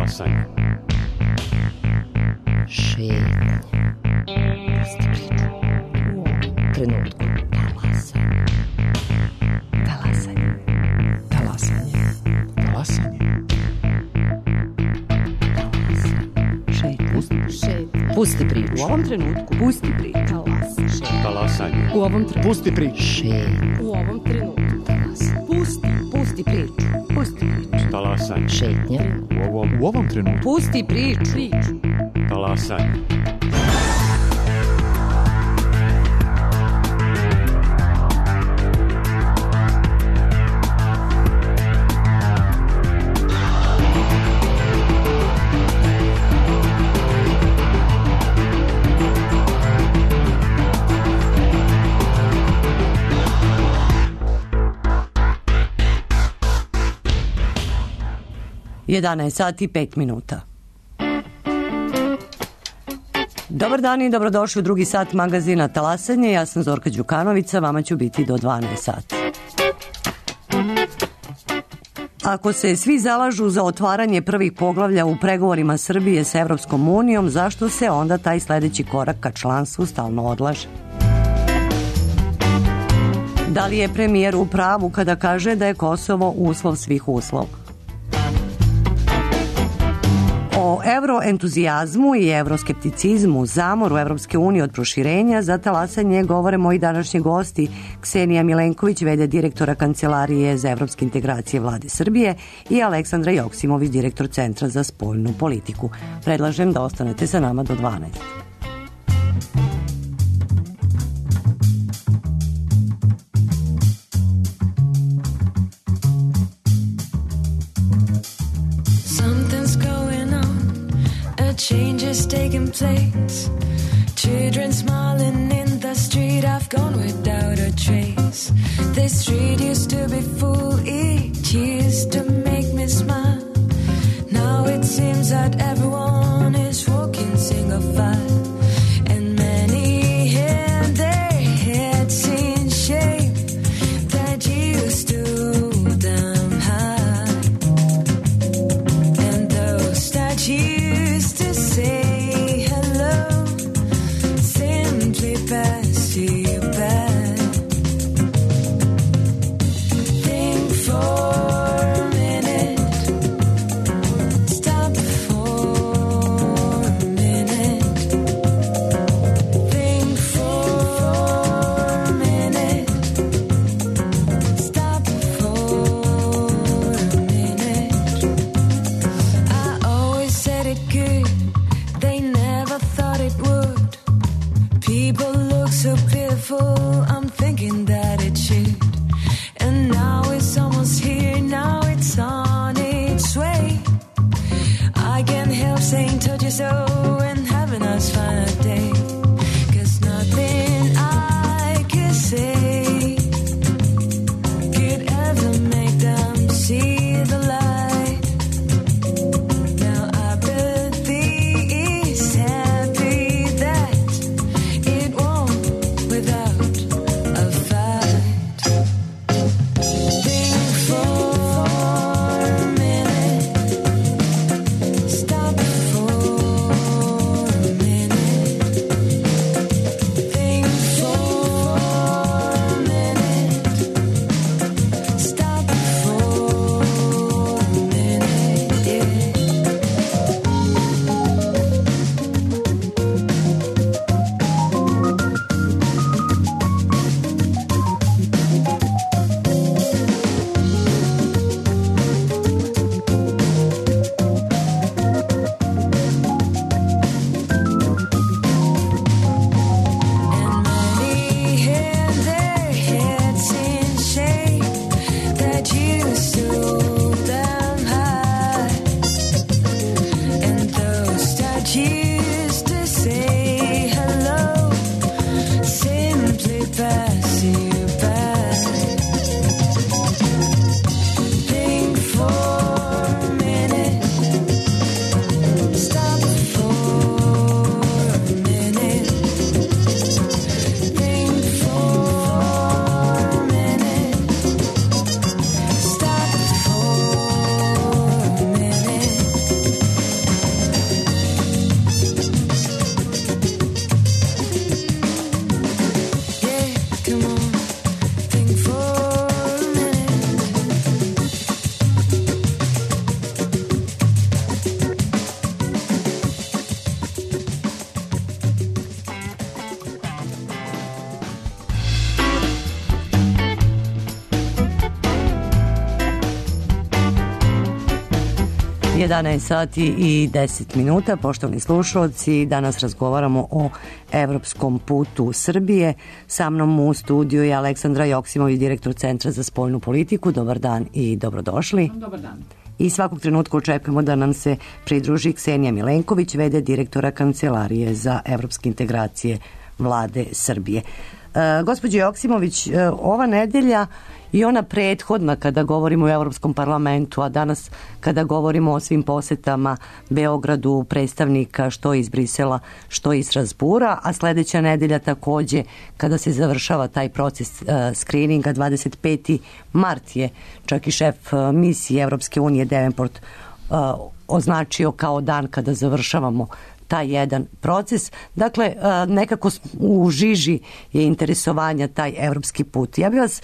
Talasanje. Šetnje. Pusti priču. U ovom trenutku. Talasanje. Talasanje. Talasanje. Pusti priču. U ovom trenutku. Pusti priču. Talasanje. U ovom trenutku. Pusti priču. U ovom trenutku. Pusti priču. Pusti priču. Talasanje. Šetnje. U ovom trenutku. Pusti priču. Talasanje. Jedanaest sati i 5 minuta. Dobar dan i dobrodošli u drugi sat magazina Talasanje. Ja sam Zorka Đukanovića, vama ću biti do 12 sati. Ako se svi zalažu za otvaranje prvih poglavlja u pregovorima Srbije sa Evropskom unijom, zašto se onda taj sledeći korak ka članstvu stalno odlaže? Da li je premijer u pravu kada kaže da je Kosovo uslov svih uslova? O evroentuzijazmu i evroskepticizmu, zamoru Evropske unije od proširenja, za Talasanje govore moji današnji gosti Ksenija Milenković, v.d. direktora Kancelarije za evropske integracije Vlade Srbije, i Aleksandra Joksimović, direktor Centra za spoljnu politiku. Predlažem da ostanete sa nama do 12. Change is taking place. Children smiling in the street. I've gone without a trace. This street used to be full. It used to make me smile. Now it seems that everyone is walking single file. And many had their heads in shame that used to them high. And those that used to say hello simply pass you by. 11 sati i 10 minuta, poštovani slušalci. Danas razgovaramo o evropskom putu Srbije. Sa mnom u studiju je Aleksandra Joksimović, direktor Centra za spoljnu politiku. Dobar dan i dobrodošli. Dobar dan. I svakog trenutka očekujemo da nam se pridruži Ksenija Milenković, v.d. direktora Kancelarije za evropske integracije Vlade Srbije. Gospođo Joksimović, ova nedelja i ona prethodna kada govorimo o Evropskom parlamentu, a danas kada govorimo o svim posetama Beogradu predstavnika što iz Brisela, što iz Strasbura, a sledeća nedelja takođe kada se završava taj proces skrininga, 25. mart je čak i šef misije Evropske unije Davenport označio kao dan kada završavamo taj jedan proces. Dakle, nekako u žiži je interesovanja taj evropski put. Ja bih vas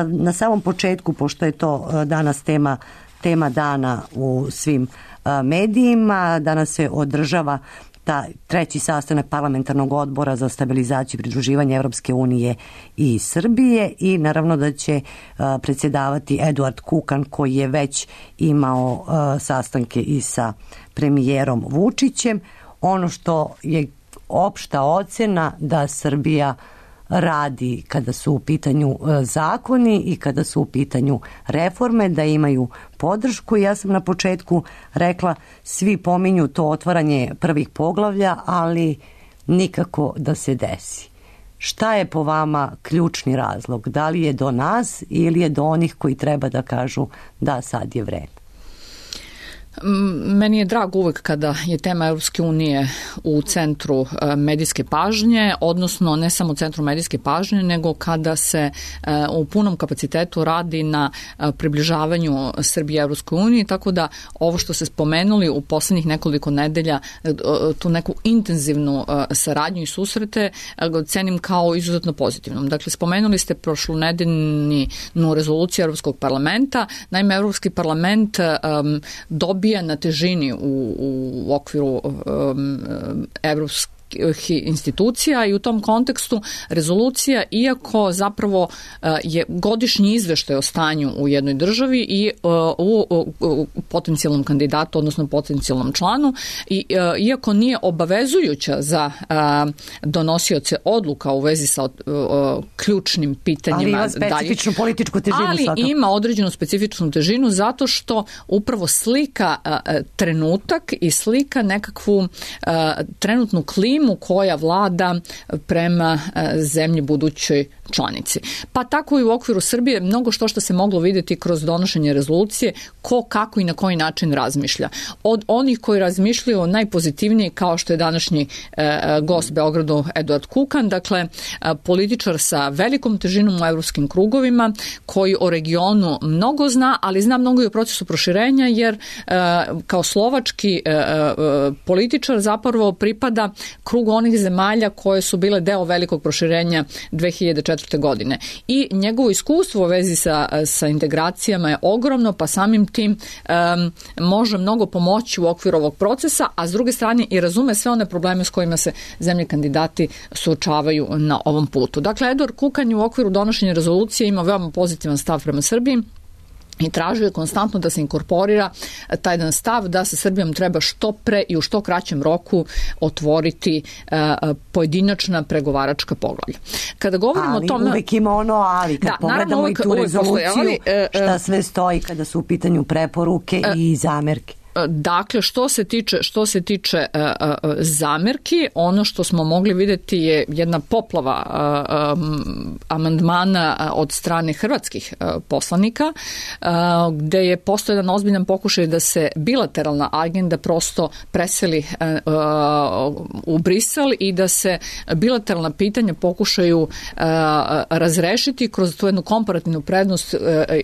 na samom početku, pošto je to danas tema dana u svim medijima, danas se održava treći sastanak parlamentarnog odbora za stabilizaciju i pridruživanje Evropske unije i Srbije i naravno da će predsjedavati Eduard Kukan koji je već imao sastanke i sa premijerom Vučićem. Ono što je opšta ocena da Srbija radi kada su u pitanju zakoni i kada su u pitanju reforme, da imaju podršku. Ja sam na početku rekla, svi pominju to otvaranje prvih poglavlja, ali nikako da se desi. Šta je po vama ključni razlog? Da li je do nas ili je do onih koji treba da kažu da sad je vreme? Meni je drago uvek kada je tema Evropske unije u centru medijske pažnje, odnosno ne samo u centru medijske pažnje, nego kada se u punom kapacitetu radi na približavanju Srbije Evropskoj uniji, tako da ovo što se spomenuli u poslednjih nekoliko nedelja, tu neku intenzivnu saradnju i susrete, cenim kao izuzetno pozitivnom. Dakle, spomenuli ste prošlonedeljnu rezoluciju Evropskog parlamenta. Naime, Evropski parlament dobija na težini u okviru evropskih institucija i u tom kontekstu rezolucija, iako zapravo je godišnji izveštaj o stanju u jednoj državi i u potencijalnom kandidatu, odnosno potencijalnom članu, i iako nije obavezujuća za donosioce odluka u vezi sa ključnim pitanjima. Ali ima specifičnu političku težinu. Ali svakako ima određenu specifičnu težinu zato što upravo slika trenutak i slika nekakvu trenutnu klimu koja vlada prema zemlji budućoj članici. Pa tako i u okviru Srbije mnogo što se moglo vidjeti kroz donošenje rezolucije, ko, kako i na koji način razmišlja. Od onih koji razmišljaju najpozitivnije, kao što je današnji gost Beogradu Eduard Kukan, dakle političar sa velikom težinom u evropskim krugovima, koji o regionu mnogo zna, ali zna mnogo i o procesu proširenja, jer kao slovački političar zapravo pripada krugu onih zemalja koje su bile deo velikog proširenja 2004. godine. I njegovo iskustvo u vezi sa integracijama je ogromno, pa samim tim može mnogo pomoći u okviru ovog procesa, a s druge strane i razume sve one probleme s kojima se zemlje kandidati suočavaju na ovom putu. Dakle, Eduard Kukan je u okviru donošenja rezolucije ima veoma pozitivan stav prema Srbiji i tražio je konstantno da se inkorporira taj jedan stav da sa Srbijom treba što pre i u što kraćem roku otvoriti pojedinačna pregovaračka poglavlja. Kada govorimo o tome... Ali uvek ima ono ali. Kad pogledamo i tu rezoluciju, šta sve stoji kada su u pitanju preporuke i zamerke. Dakle, što se tiče zamerki, ono što smo mogli vidjeti je jedna poplava amandmana od strane hrvatskih poslanika, gde je postao jedan ozbiljan pokušaj da se bilateralna agenda prosto preseli u Brisel i da se bilateralna pitanja pokušaju razrešiti kroz tu jednu komparativnu prednost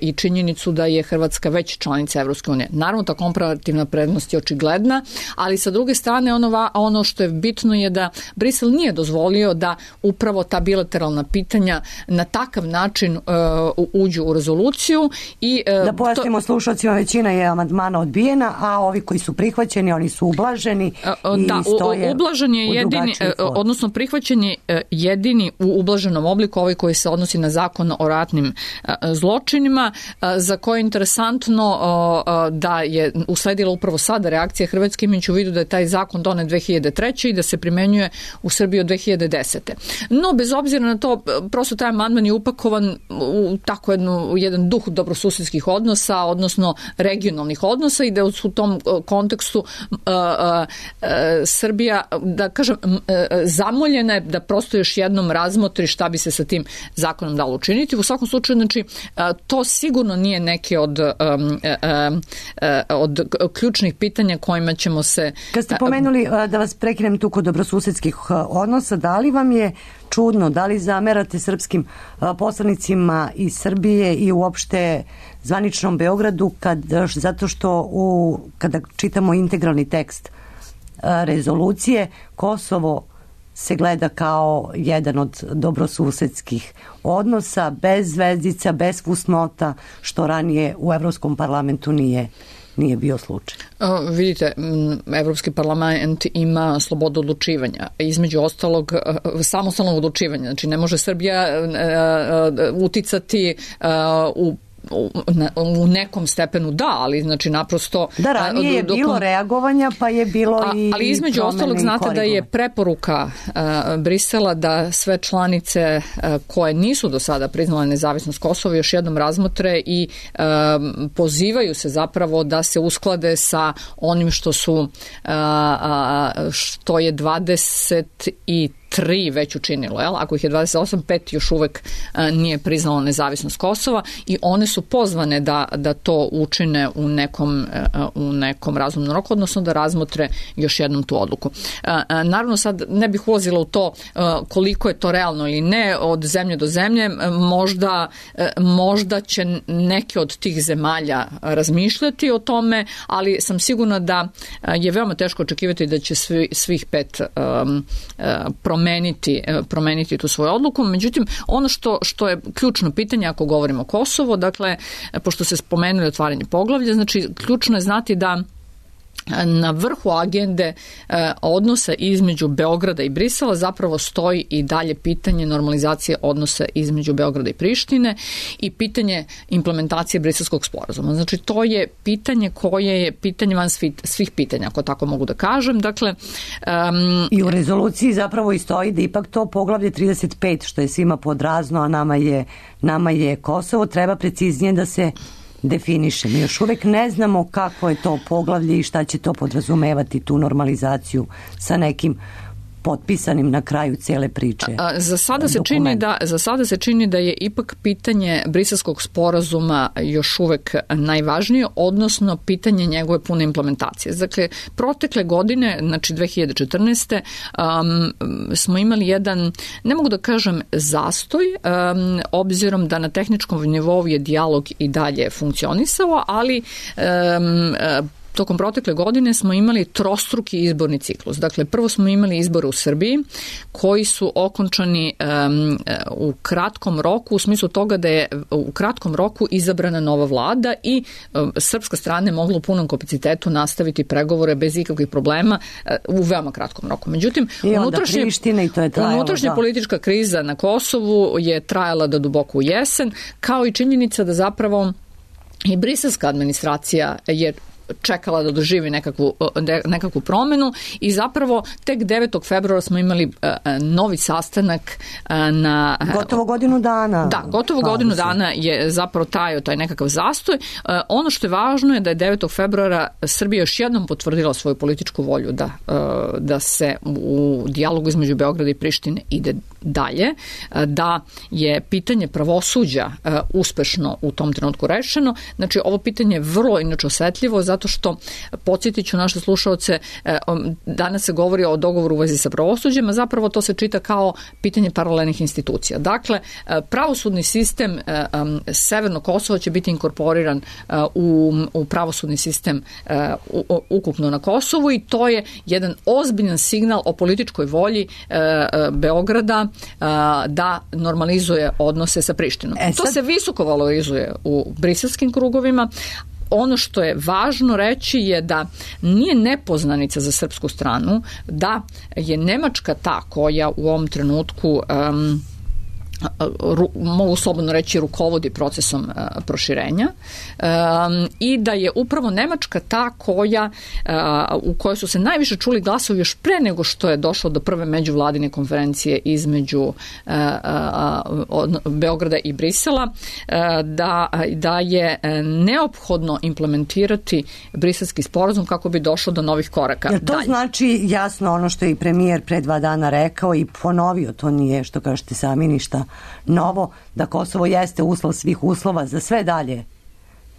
i činjenicu da je Hrvatska već članica Evropske unije. Naravno, ta komparativna prednost je očigledna, ali sa druge strane ono što je bitno je da Brisel nije dozvolio da upravo ta bilateralna pitanja na takav način uđu u rezoluciju. I da pojasnimo slušalcima, većina je amandmana odbijena, a ovi koji su prihvaćeni, oni su ublaženi i stoje ublažen je jedini, odnosno prihvaćen je jedini u ublaženom obliku, ovaj koji se odnosi na zakon o ratnim zločinima, za koje je interesantno da je usledila bila upravo sada reakcija Hrvatske, imajući u vidu da je taj zakon donet 2003. i da se primenjuje u Srbiji od 2010. No, bez obzira na to, prosto taj amandman je upakovan u tako jedan duh dobrosusedskih odnosa, odnosno regionalnih odnosa, i da u tom kontekstu Srbija, da kažem, zamoljena je da prosto još jednom razmotri šta bi se sa tim zakonom dalo učiniti. U svakom slučaju, znači, to sigurno nije neke od ključnih pitanja kojima ćemo se... Kad ste pomenuli, da vas prekinem tu kod dobrosusedskih odnosa, da li vam je čudno, da li zamerate srpskim poslanicima iz Srbije i uopšte zvaničnom Beogradu zato što kada čitamo integralni tekst rezolucije, Kosovo se gleda kao jedan od dobrosusedskih odnosa, bez zvezdica, bez fusnota, što ranije u Evropskom parlamentu nije bio slučaj. Vidite, Evropski parlament ima slobodu odlučivanja, između ostalog samostalnog odlučivanja. Znači, ne može Srbija uticati u nekom stepenu ali znači naprosto... Da, ranije je bilo reagovanja, pa je bilo ali između ostalog znate da je preporuka Brisela da sve članice koje nisu do sada priznale nezavisnost Kosova još jednom razmotre i pozivaju se zapravo da se usklade sa onim što je 23 već učinilo. Ako ih je 28, 5 još uvek nije priznalo nezavisnost Kosova i one su pozvane da to učine u nekom razumnom roku, odnosno da razmotre još jednom tu odluku. Naravno, sad ne bih ulazila u to koliko je to realno ili ne od zemlje do zemlje. Možda će neke od tih zemalja razmišljati o tome, ali sam sigurna da je veoma teško očekivati da će svih 5 promeniti tu svoju odluku. Međutim, ono što je ključno pitanje ako govorimo o Kosovo, dakle, pošto se spomenuli otvaranje poglavlja, znači ključno je znati da na vrhu agende odnosa između Beograda i Brisela zapravo stoji i dalje pitanje normalizacije odnosa između Beograda i Prištine i pitanje implementacije Briselskog sporazuma. Znači, to je pitanje koje je pitanje van svih pitanja, ako tako mogu da kažem. Dakle, i u rezoluciji zapravo i stoji da ipak to poglavlje 35, što je svima podrazno, a nama je Kosovo, treba preciznije da se definiše. Mi još uvek ne znamo kako je to poglavlje i šta će to podrazumevati, tu normalizaciju sa nekim potpisanim na kraju cele priče. Za sada se čini da je ipak pitanje Briselskog sporazuma još uvek najvažnije, odnosno pitanje njegove pune implementacije. Dakle, protekle godine, znači 2014. smo imali jedan, ne mogu da kažem zastoj, obzirom da na tehničkom nivou je dijalog i dalje funkcionisao, ali tokom protekle godine smo imali trostruki izborni ciklus. Dakle, prvo smo imali izbore u Srbiji koji su okončani u kratkom roku, u smislu toga da je u kratkom roku izabrana nova vlada i srpska strana je mogla u punom kapacitetu nastaviti pregovore bez ikakvih problema u veoma kratkom roku. Međutim, unutrašnja politička kriza na Kosovu je trajala do duboko u jesen, kao i činjenica da zapravo i briselska administracija je čekala da doživi nekakvu promenu i zapravo tek 9. februara smo imali novi sastanak na... Gotovo godinu dana. Da, gotovo godinu dana je zapravo trajao taj nekakav zastoj. Ono što je važno je da je 9. februara Srbija još jednom potvrdila svoju političku volju da se u dijalogu između Beograda i Prištine ide dalje, da je pitanje pravosuđa uspešno u tom trenutku rešeno. Znači, ovo pitanje je vrlo inače osetljivo, zato što, podsjetit ću naše slušaoce, danas se govori o dogovoru u vezi sa pravosuđem, a zapravo to se čita kao pitanje paralelnih institucija. Dakle, pravosudni sistem Severnog Kosova će biti inkorporiran u pravosudni sistem ukupno na Kosovu i to je jedan ozbiljan signal o političkoj volji Beograda da normalizuje odnose sa Prištinom. To se visoko valorizuje u briselskim krugovima. Ono što je važno reći je da nije nepoznanica za srpsku stranu da je Nemačka ta koja u ovom trenutku mogu slobodno reći, rukovodi procesom proširenja i da je upravo Nemačka ta u kojoj su se najviše čuli glasovi još pre nego što je došlo do prve međuvladine konferencije između Beograda i Brisela, da je neophodno implementirati briselski sporazum kako bi došlo do novih koraka. Jer to znači jasno ono što je i premijer pre 2 dana rekao i ponovio, to nije, što kažete sami, ništa novo, da Kosovo jeste uslov svih uslova za sve dalje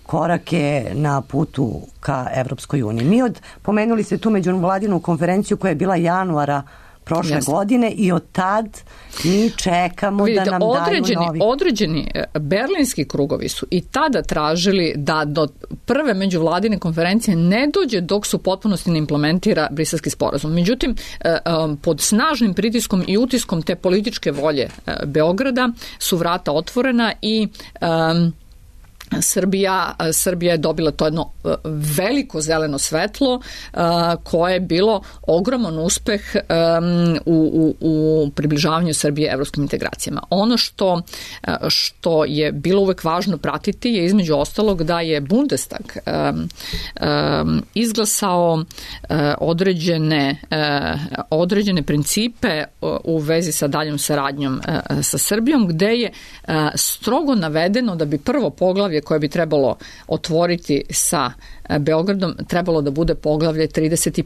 korake na putu ka Evropskoj uniji. Pomenuli ste tu međuvladinu konferenciju koja je bila januara prošle godine i od tad mi čekamo da nam daju novi. Određeni berlinski krugovi su i tada tražili da do prve međuvladine konferencije ne dođe dok su potpunosti ne implementira briselski sporazum. Međutim, pod snažnim pritiskom i utiskom te političke volje Beograda su vrata otvorena i Srbija je dobila to jedno veliko zeleno koje je bilo ogroman uspeh u približavanju Srbije evropskim integracijama. Ono što je bilo uvek važno pratiti je između ostalog da je Bundestag izglasao određene principe u vezi sa daljom saradnjom sa Srbijom, gde je strogo navedeno da bi prvo poglavlje koje bi trebalo otvoriti sa Beogradom trebalo da bude poglavlje 35.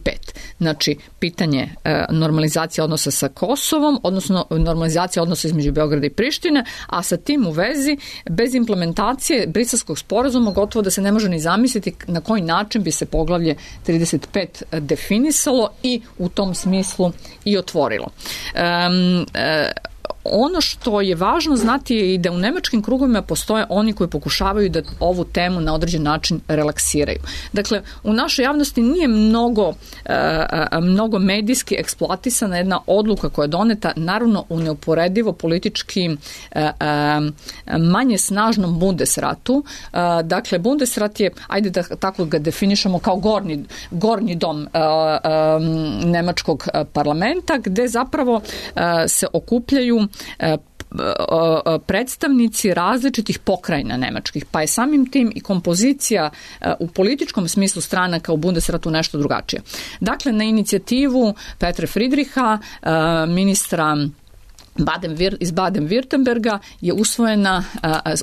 Znači, pitanje normalizacije odnosa sa Kosovom, odnosno normalizacija odnosa između Beograda i Prištine, a sa tim u vezi, bez implementacije briselskog sporazuma gotovo da se ne može ni zamisliti na koji način bi se poglavlje 35 definisalo i u tom smislu i otvorilo. Ono što je važno znati je i da u nemačkim krugovima postoje oni koji pokušavaju da ovu temu na određen način relaksiraju. Dakle, u našoj javnosti nije mnogo medijski eksploatisana jedna odluka koja je doneta, naravno u neuporedivo politički manje snažnom Bundesratu. Dakle, Bundesrat je, ajde da tako ga definišemo, kao gornji dom nemačkog parlamenta, gde zapravo se okupljaju predstavnici različitih pokrajina nemačkih, pa je samim tim i kompozicija u političkom smislu stranaka u Bundesratu nešto drugačije. Dakle, na inicijativu Petra Friedricha, ministra iz Baden-Württemberga, je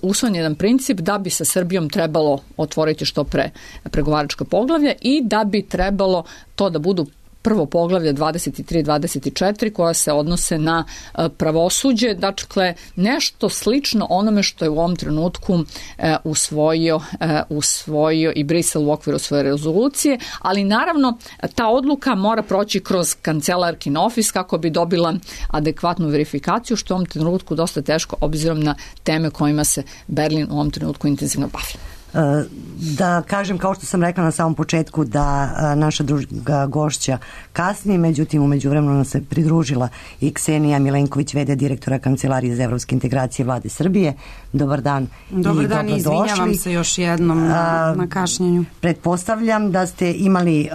usvojen jedan princip da bi sa Srbijom trebalo otvoriti što pre pregovaračko poglavlje i da bi trebalo to da budu prvo poglavlje 23-24 koja se odnose na pravosuđe, dakle nešto slično onome što je u ovom trenutku usvojio i Brisel u okviru svoje rezolucije, ali naravno ta odluka mora proći kroz kancelarkin ofis kako bi dobila adekvatnu verifikaciju, što je u ovom trenutku dosta teško obzirom na teme kojima se Berlin u ovom trenutku intenzivno bavi. Da kažem, kao što sam rekla na samom početku, da naša druga gošća kasni, međutim u međuvremenu nam se pridružila i Ksenija Milenković, v.d. direktora Kancelarije za evropske integracije Vlade Srbije. Dobar dan. Dobar dan i izvinjavam se još jednom na kašnjenju. Pretpostavljam da ste imali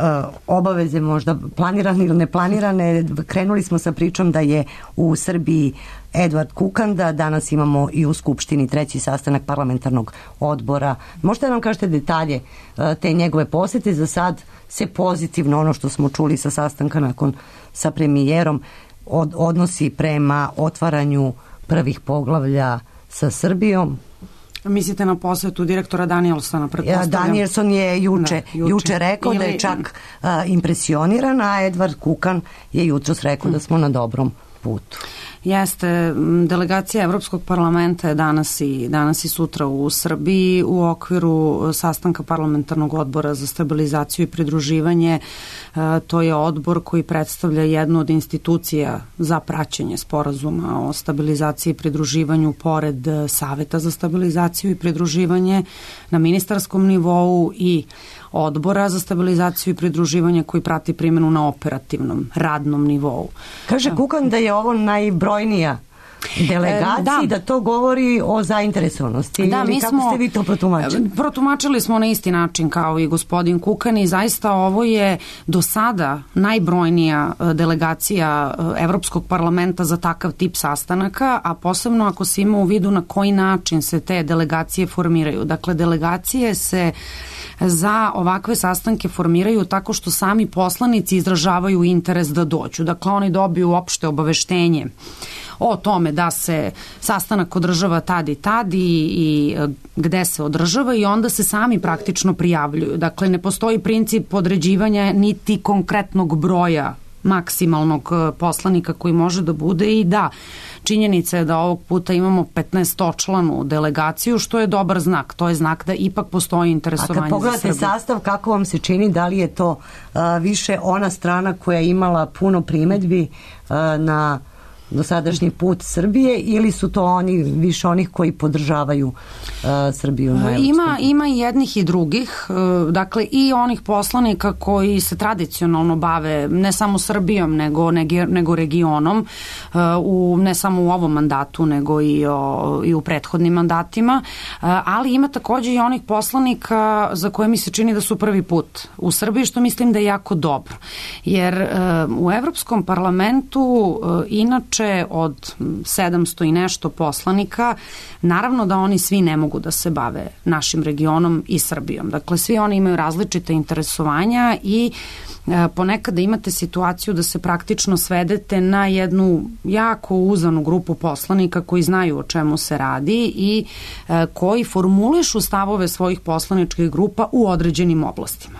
obaveze, možda planirane ili neplanirane. Krenuli smo sa pričom da je u Srbiji Edvard Kukanda, danas imamo i u Skupštini 3. sastanak parlamentarnog odbora. Možete nam kažete detalje te njegove posete? Za sad se pozitivno, ono što smo čuli sa sastanka sa premijerom, odnosi prema otvaranju prvih poglavlja sa Srbijom. Mislite na posetu direktora Danielsona, pretpostavljam? Danielson je juče rekao da je čak impresioniran, a Edvard Kukan je jutros rekao da smo na dobrom putu. Jeste, delegacija Evropskog parlamenta je danas i sutra u Srbiji u okviru sastanka parlamentarnog odbora za stabilizaciju i pridruživanje. To je odbor koji predstavlja jednu od institucija za praćenje sporazuma o stabilizaciji i pridruživanju pored Saveta za stabilizaciju i pridruživanje na ministarskom nivou i odbora za stabilizaciju i pridruživanje koji prati primjenu na operativnom, radnom nivou. Kaže Kukan da je ovo najbrojnija delegaciji, da to govori o zainteresovanosti, ili kako ste vi to protumačili? Protumačili smo na isti način kao i gospodin Kukan i zaista ovo je do sada najbrojnija delegacija Evropskog parlamenta za takav tip sastanaka, a posebno ako se ima u vidu na koji način se te delegacije formiraju. Dakle, delegacije se za ovakve sastanke formiraju tako što sami poslanici izražavaju interes da dođu. Dakle, oni dobiju opšte obaveštenje o tome da se sastanak održava tad i gde se održava i onda se sami praktično prijavljuju. Dakle, ne postoji princip određivanja niti konkretnog broja maksimalnog poslanika koji može da bude i da, činjenica je da ovog puta imamo 15-članu delegaciju, što je dobar znak. To je znak da ipak postoji interesovanje za Srbiju. A kad pogledate sastav, kako vam se čini, da li je to više ona strana koja je imala puno primedbi na dosadašnji put Srbije ili su to oni više onih koji podržavaju Srbiju? Ima i jednih i drugih, dakle i onih poslanika koji se tradicionalno bave ne samo Srbijom nego regionom, ne samo u ovom mandatu nego i u prethodnim mandatima, ali ima takođe i onih poslanika za koje mi se čini da su prvi put u Srbiji, što mislim da je jako dobro, jer u Evropskom parlamentu inače od 700 i nešto poslanika, naravno da oni svi ne mogu da se bave našim regionom i Srbijom. Dakle, svi oni imaju različite interesovanja i ponekada imate situaciju da se praktično svedete na jednu jako uzanu grupu poslanika koji znaju o čemu se radi i koji formulišu stavove svojih poslaničkih grupa u određenim oblastima.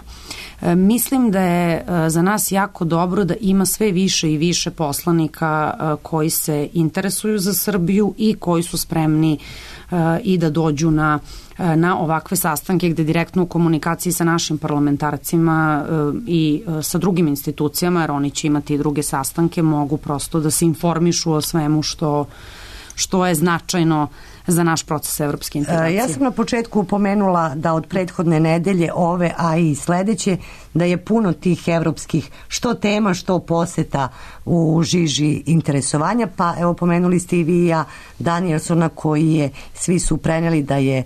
Mislim da je za nas jako dobro da ima sve više i više poslanika koji se interesuju za Srbiju i koji su spremni i da dođu na ovakve sastanke gde direktno u komunikaciji sa našim parlamentarcima i sa drugim institucijama, jer oni će imati i druge sastanke, mogu prosto da se informišu o svemu što je značajno za naš proces evropske integracije. Ja sam na početku pomenula da od prethodne nedelje ove, a i sledeće, da je puno tih evropskih što tema, što poseta u žiži interesovanja, pa evo pomenuli ste i vi i ja Danielsona koji je, svi su preneli da je,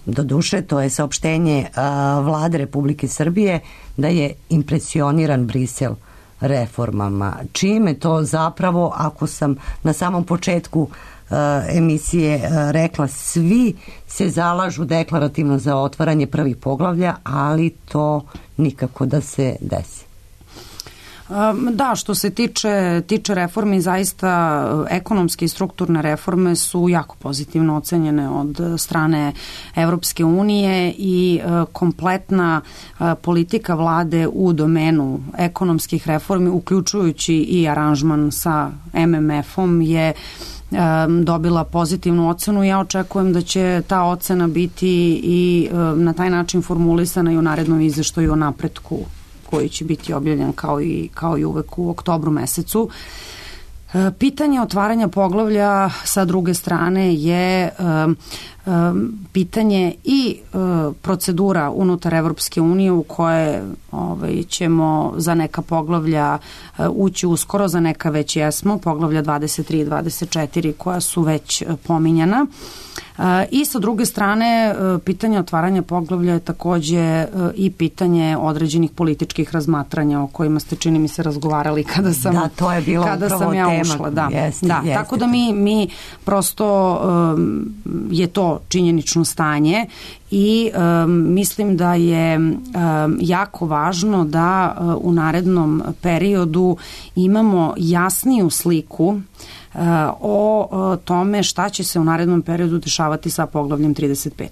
do duše, to je saopštenje Vlade Republike Srbije, da je impresioniran Brisel reformama. Čime to zapravo, ako sam na samom početku emisije rekla, svi se zalažu deklarativno za otvaranje prvih poglavlja, ali to nikako da se desi. Da, što se tiče reformi, zaista ekonomske i strukturne reforme su jako pozitivno ocenjene od strane Evropske unije i kompletna politika vlade u domenu ekonomskih reformi, uključujući i aranžman sa MMF-om, je dobila pozitivnu ocenu. Ja očekujem da će ta ocena biti i na taj način formulisana i u narednom izveštaju o napretku koji će biti objavljen kao i uvek u oktobru mesecu. Pitanje otvaranja poglavlja sa druge strane je pitanje i procedura unutar Evropske unije u koje ćemo za neka poglavlja ući uskoro, za neka već jesmo, poglavlja 23 i 24 koja su već pominjana. I sa druge strane, pitanje otvaranja poglavlja je takođe i pitanje određenih političkih razmatranja o kojima ste, čini mi se, razgovarali kada sam, da, to je bilo kada sam ja ušla. Da, jeste. Tako da mi prosto je to činjenično stanje i mislim da je jako važno da u narednom periodu imamo jasniju sliku o tome šta će se u narednom periodu dešavati sa poglavljem 35.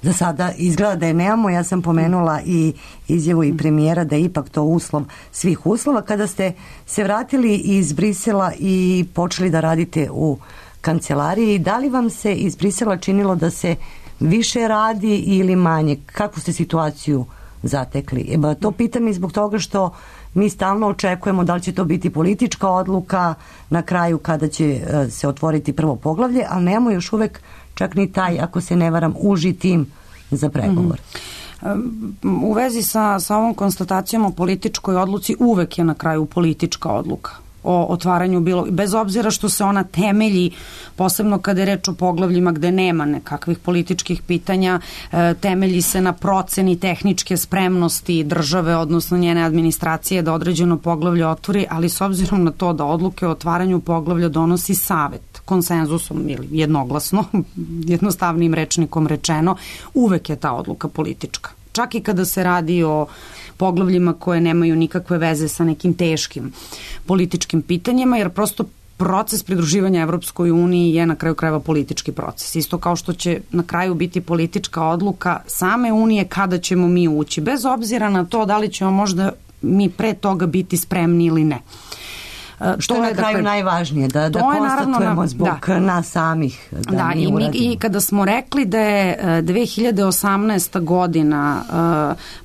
Za sada izgleda da je nemamo. Ja sam pomenula i izjavu i premijera da je ipak to uslov svih uslova. Kada ste se vratili iz Brisela i počeli da radite u kancelariji, da li vam se iz Brisela činilo da se više radi ili manje? Kakvu ste situaciju zatekli? To pitam i zbog toga što mi stalno očekujemo da li će to biti politička odluka na kraju kada će se otvoriti prvo poglavlje, ali nemamo još uvek čak ni taj, ako se ne varam, uži tim za pregovor. U vezi sa ovom konstatacijom o političkoj odluci uvek je na kraju politička odluka o otvaranju bez obzira što se ona temelji, posebno kada je reč o poglavljima gde nema nekakvih političkih pitanja, temelji se na proceni tehničke spremnosti države, odnosno njene administracije da određeno poglavlje otvori, ali s obzirom na to da odluke o otvaranju poglavlja donosi savet konsenzusom ili jednoglasno, jednostavnim rečnikom rečeno, uvek je ta odluka politička. Čak i kada se radi o poglavljima koje nemaju nikakve veze sa nekim teškim političkim pitanjima, jer prosto proces pridruživanja Evropskoj uniji je na kraju krajeva politički proces. Isto kao što će na kraju biti politička odluka same unije kada ćemo mi ući, bez obzira na to da li ćemo možda mi pre toga biti spremni ili ne. Što je na kraju najvažnije, da konstatujemo zbog nas samih. Da, i kada smo rekli da je 2018. godina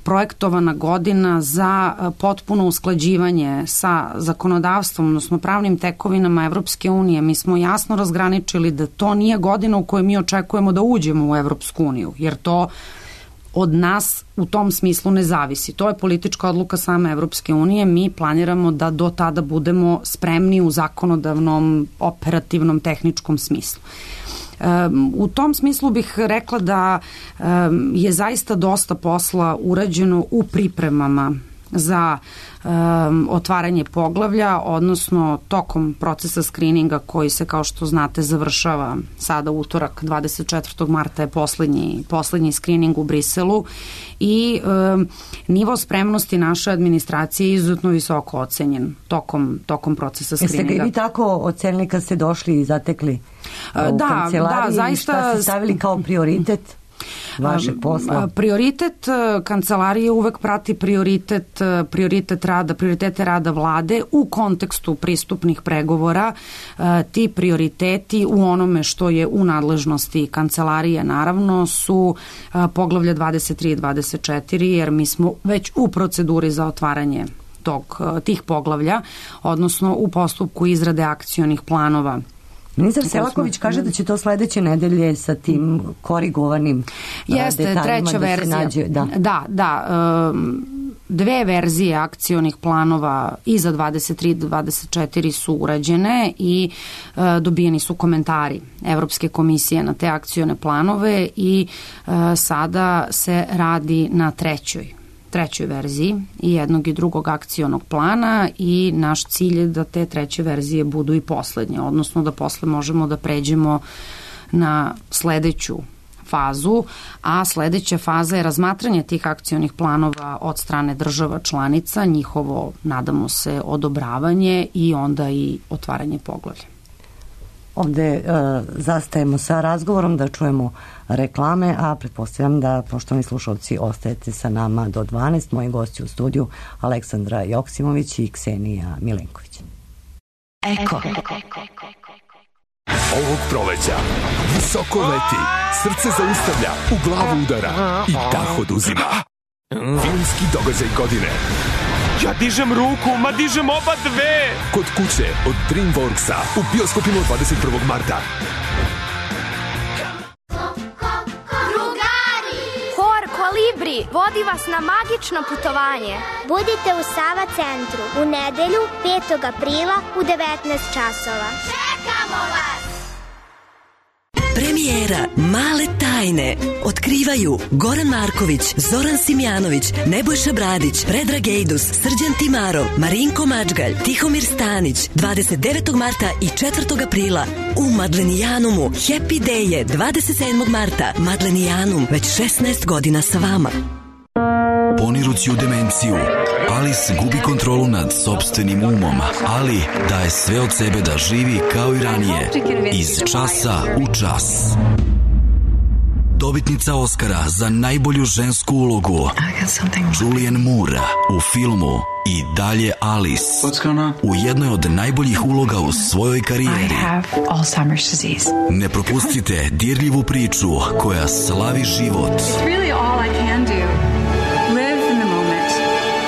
projektovana godina za potpuno usklađivanje sa zakonodavstvom, odnosno pravnim tekovinama Evropske unije, mi smo jasno razgraničili da to nije godina u kojoj mi očekujemo da uđemo u Evropsku uniju, jer to od nas u tom smislu ne zavisi. To je politička odluka same Evropske unije. Mi planiramo da do tada budemo spremni u zakonodavnom, operativnom, tehničkom smislu. U tom smislu bih rekla da je zaista dosta posla urađeno u pripremama za otvaranje poglavlja, odnosno tokom procesa skrininga koji se, kao što znate, završava sada utorak, 24. marta je poslednji skrining u Briselu i nivo spremnosti naše administracije je izuzetno visoko ocenjen tokom procesa skrininga. Jeste ga i vi tako ocenili kad ste došli i zatekli u kancelariji? Da, zaista. Šta ste stavili kao prioritet vašeg posla? Prioritet kancelarije uvek prati prioritete rada vlade u kontekstu pristupnih pregovora. Ti prioriteti u onome što je u nadležnosti kancelarije naravno su poglavlja 23 i 24, jer mi smo već u proceduri za otvaranje tih poglavlja, odnosno u postupku izrade akcionih planova. Ministar Selaković kaže da će to sledeće nedelje sa tim korigovanim detaljima treća verzija. Dve verzije akcionih planova i za 23 i 24 su urađene i dobijeni su komentari Evropske komisije na te akcione planove i sada se radi na trećoj verziji i jednog i drugog akcionog plana i naš cilj je da te treće verzije budu i poslednje, odnosno da posle možemo da pređemo na sledeću fazu, a sledeća faza je razmatranje tih akcionih planova od strane država članica, njihovo, nadamo se, odobravanje i onda i otvaranje poglavlja. Ovde zastajemo sa razgovorom da čujemo reklame, a pretpostavljam da, poštovani slušalci, ostajete sa nama do 12. Moji gosti u studiju Aleksandra Joksimović i Ksenija Milenković. Eko. Ovog proleća visoko leti, srce zaustavlja, u glavu udara i dah oduzima. Filmski događaj godine. Ja dižem ruku, ma dižem oba dve! Kod kuće od DreamWorksa u bioskopima 21. marta. Hor Kolibri vodi vas na magično putovanje. Budite u Sava centru u nedelju 5. aprila u 19 časova. Čekamo vas! Premijera Male tajne otkrivaju Goran Marković, Zoran Simjanović, Nebojša Bradić, Predrag Ejdus, Srđan Timarov, Marinko Mačgalj, Tihomir Stanić, 29. marta i 4. aprila u Madlenijanumu. Happy Day je 27. marta. Madlenijanum, već 16 godina sa vama. Ponirući u demenciju, Alice gubi kontrolu nad sopstvenim umom, ali daje sve od sebe da živi kao i ranije, iz časa u čas. Dobitnica Oscara za najbolju žensku ulogu Julianne Moore u filmu I dalje Alice, u jednoj od najboljih uloga u svojoj karijeri. Ne propustite dirljivu priču koja slavi život.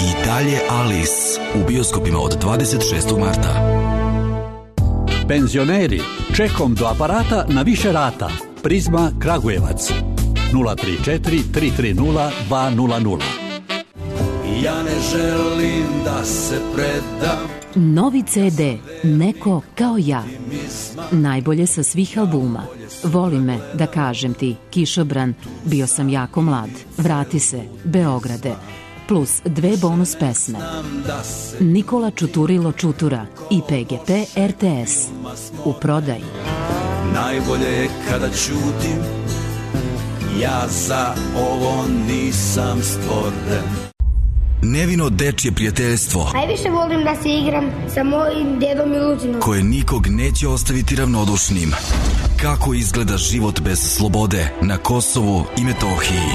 I dalje Alice u bioskopima od 26. marta. Penzioneri, čekom do aparata na više rata. Prizma Kragujevac 034 330 200. Ja ne želim da se predam. Novi CD Neko kao ja. Najbolje sa svih albuma. Voli me, da kažem ti, Kišobran, Bio sam jako mlad, Vrati se, Beograde, plus 2 bonus pesme. Nikola Čuturilo Čutura i PGP RTS. U prodaji. Najbolje je kada ćutim, ja za ovo nisam stvoren. Nevino dečje prijateljstvo. Najviše volim da se igram sa mojim dedom i Lucinom. Koje nikog neće ostaviti ravnodušnim. Kako izgleda život bez slobode na Kosovu i Metohiji.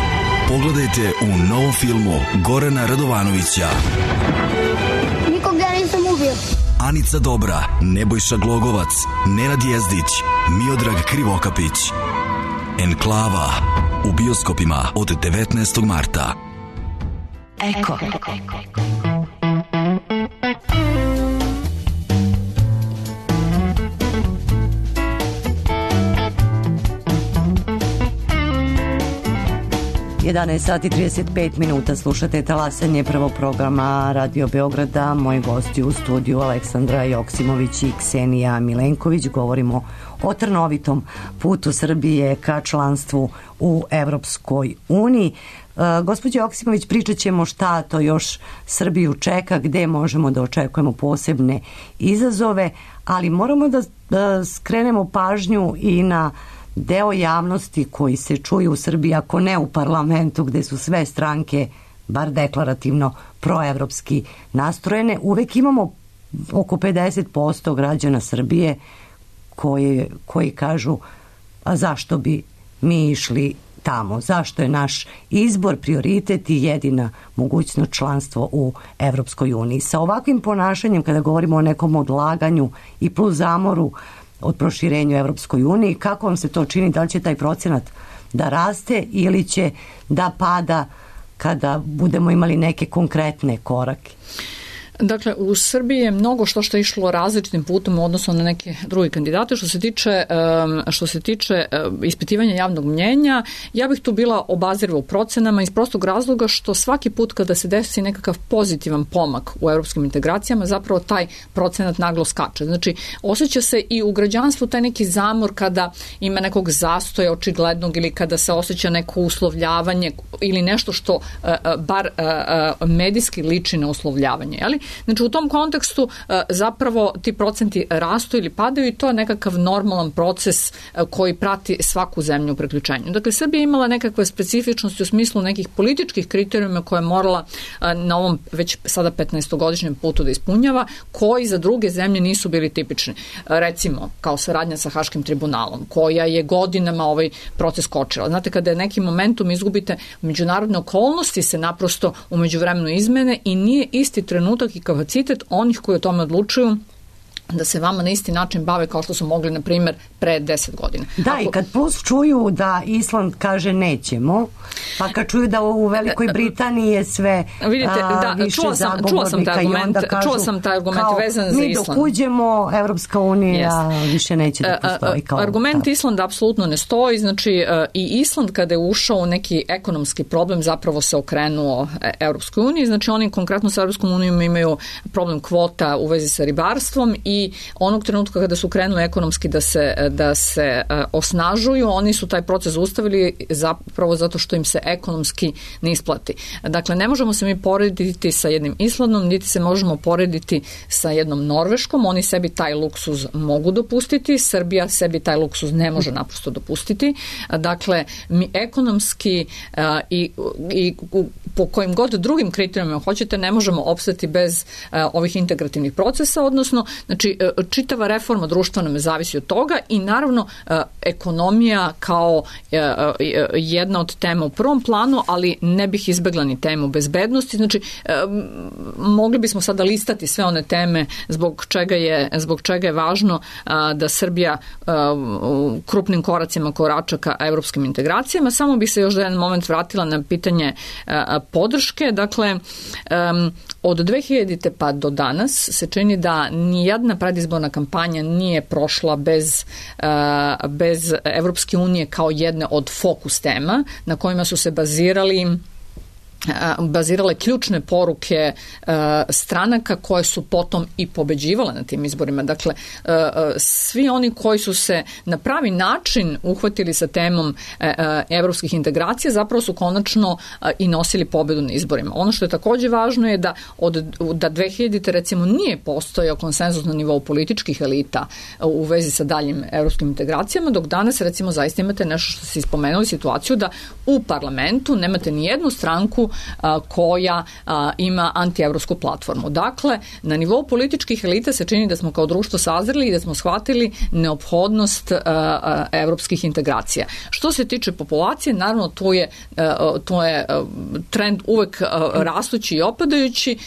Pogledajte u novom filmu Gorana Radovanovića. Nikog ja nisam ubio. Anica Dobra, Nebojša Glogovac, Nenad Jezdić, Miodrag Krivokapić. Enklava u bioskopima od 19. marta. Eko. 11 sati 35 minuta, slušate talasanje prvog programa Radio Beograda. Moji gosti u studiju Aleksandra Joksimović i Ksenija Milenković. Govorimo o trnovitom putu Srbije ka članstvu u Evropskoj uniji. Gospođo Joksimović, pričat ćemo šta to još Srbiju čeka, gde možemo da očekujemo posebne izazove, ali moramo da skrenemo pažnju i na deo javnosti koji se čuje u Srbiji, ako ne u parlamentu gde su sve stranke bar deklarativno proevropski nastrojene. Uvek imamo oko 50% građana Srbije koji kažu, a zašto bi mi išli tamo, zašto je naš izbor prioritet i jedina mogućnost članstvo u Evropskoj uniji. Sa ovakvim ponašanjem, kada govorimo o nekom odlaganju i plus zamoru od proširenja u Evropskoj uniji, kako vam se to čini? Da li će taj procenat da raste ili će da pada kada budemo imali neke konkretne korake? Dakle, u Srbiji je mnogo što je išlo različitim putom u odnosu na neke druge kandidate. Što se tiče ispitivanja javnog mnjenja, ja bih tu bila obaziriva u procenama iz prostog razloga što svaki put kada se desi nekakav pozitivan pomak u evropskim integracijama, zapravo taj procenat naglo skače. Znači, osjeća se i u građanstvu taj neki zamor kada ima nekog zastoja očiglednog ili kada se osjeća neko uslovljavanje ili nešto što bar medijski liči na uslovljavanje, jeli? Znači u tom kontekstu zapravo ti procenti rastu ili padaju i to je nekakav normalan proces koji prati svaku zemlju u priključenju. Dakle, Srbija je imala nekakve specifičnosti u smislu nekih političkih kriterijuma koje je morala na ovom već sada 15-godišnjem putu da ispunjava, koji za druge zemlje nisu bili tipični. Recimo, kao saradnja sa Haškim tribunalom, koja je godinama ovaj proces kočila. Znate, kada je nekim momentum izgubite međunarodne okolnosti se naprosto u međuvremenu izmene i nije isti trenutak i kapacitet onih koji o tome odlučuju da se vama na isti način bave kao što su mogli, na primjer, pre 10 godina. Da, i kad plus čuju da Island kaže nećemo, pa kad čuju da u Velikoj Britaniji je sve više zagovornika i onda kažu čuo sam taj argument vezan za Island. Mi dok uđemo, Evropska unija više neće da postoji kao argument Islanda apsolutno ne stoji, znači i Island kada je ušao u neki ekonomski problem zapravo se okrenuo Evropskoj uniji, znači oni konkretno sa Evropskom unijom imaju problem kvota u vezi sa ribarstvom i onog trenutka kada su krenuli ekonomski da se osnažuju, oni su taj proces ustavili zapravo zato što im se ekonomski ne isplati. Dakle, ne možemo se mi porediti sa jednim Islandom, niti se možemo porediti sa jednom Norveškom, oni sebi taj luksuz mogu dopustiti, Srbija sebi taj luksuz ne može naprosto dopustiti. Dakle, mi ekonomski i po kojim god drugim kriterijima hoćete, ne možemo opstati bez ovih integrativnih procesa, odnosno, znači, čitava reforma društva nam zavisi od toga i naravno ekonomija kao jedna od tema u prvom planu, ali ne bih izbegla ni temu bezbednosti. Znači, mogli bismo sada listati sve one teme zbog čega je važno da Srbija krupnim koracima korača ka evropskim integracijama. Samo bih se još za jedan moment vratila na pitanje podrške. Dakle, od 2000. pa do danas se čini da nijedna predizborna kampanja nije prošla bez Evropske unije kao jedne od fokus tema na kojima su se bazirali bazirale ključne poruke stranaka koje su potom i pobeđivale na tim izborima. Dakle, svi oni koji su se na pravi način uhvatili sa temom evropskih integracija zapravo su konačno i nosili pobedu na izborima. Ono što je takođe važno je da 2000. recimo nije postojao konsenzus na nivou političkih elita u vezi sa daljim evropskim integracijama, dok danas recimo zaista imate nešto što ste spomenuli, situaciju da u parlamentu nemate ni jednu stranku koja ima antievropsku platformu. Dakle, na nivou političkih elita se čini da smo kao društvo sazreli i da smo shvatili neophodnost evropskih integracija. Što se tiče populacije, naravno to je trend uvek rastući i opadajući.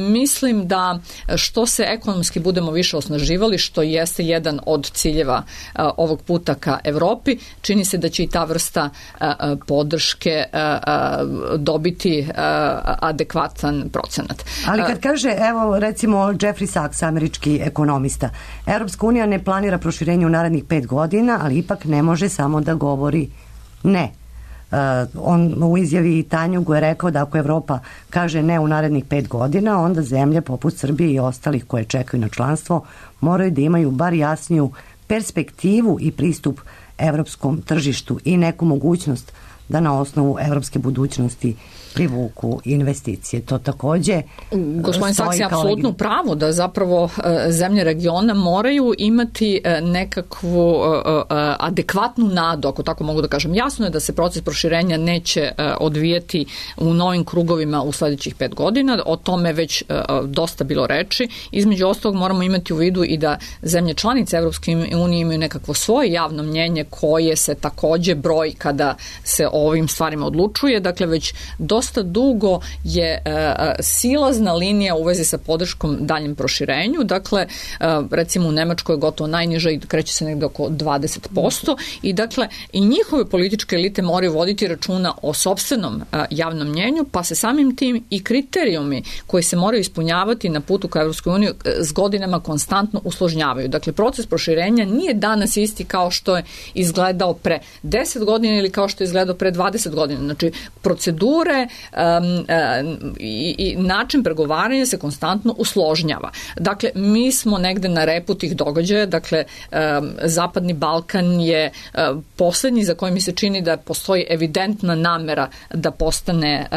Mislim da što se ekonomski budemo više osnaživali, što jeste jedan od ciljeva ovog puta ka Evropi, čini se da će i ta vrsta podrške dobiti adekvatan procenat. Ali kad kaže, evo recimo Jeffrey Sachs, američki ekonomista, Evropska unija ne planira proširenje u narednih 5 godina, ali ipak ne može samo da govori ne. On u izjavi Tanjugu je rekao da ako Evropa kaže ne u narednih 5 godina, onda zemlje poput Srbije i ostalih koje čekaju na članstvo moraju da imaju bar jasniju perspektivu i pristup evropskom tržištu i neku mogućnost da na osnovu evropske budućnosti privuku investicije. To takođe gospodin Saks je apsolutno pravo da zapravo zemlje regiona moraju imati nekakvu adekvatnu nadu, ako tako mogu da kažem. Jasno je da se proces proširenja neće odvijeti u novim krugovima u sledećih 5 godina. O tome već dosta bilo reči. Između ostalog moramo imati u vidu i da zemlje članice Evropske unije imaju nekakvo svoje javno mnjenje koje se takođe broji kada se o ovim stvarima odlučuje. Dakle, već dosta dugo je silazna linija u vezi sa podrškom daljem proširenju. Dakle, recimo u Nemačkoj je gotovo najniža i kreće se negde oko 20%. I dakle, i njihove političke elite moraju voditi računa o sopstvenom javnom mnjenju, pa se samim tim i kriterijumi koji se moraju ispunjavati na putu ka Evropskoj uniji s godinama konstantno usložnjavaju. Dakle, proces proširenja nije danas isti kao što je izgledao pre 10 godina ili kao što je izgledao pre 20 godina. Znači, procedure i način pregovaranja se konstantno usložnjava. Dakle, mi smo negde na repu tih događaja, dakle, Zapadni Balkan je poslednji za koji mi se čini da postoji evidentna namera da postane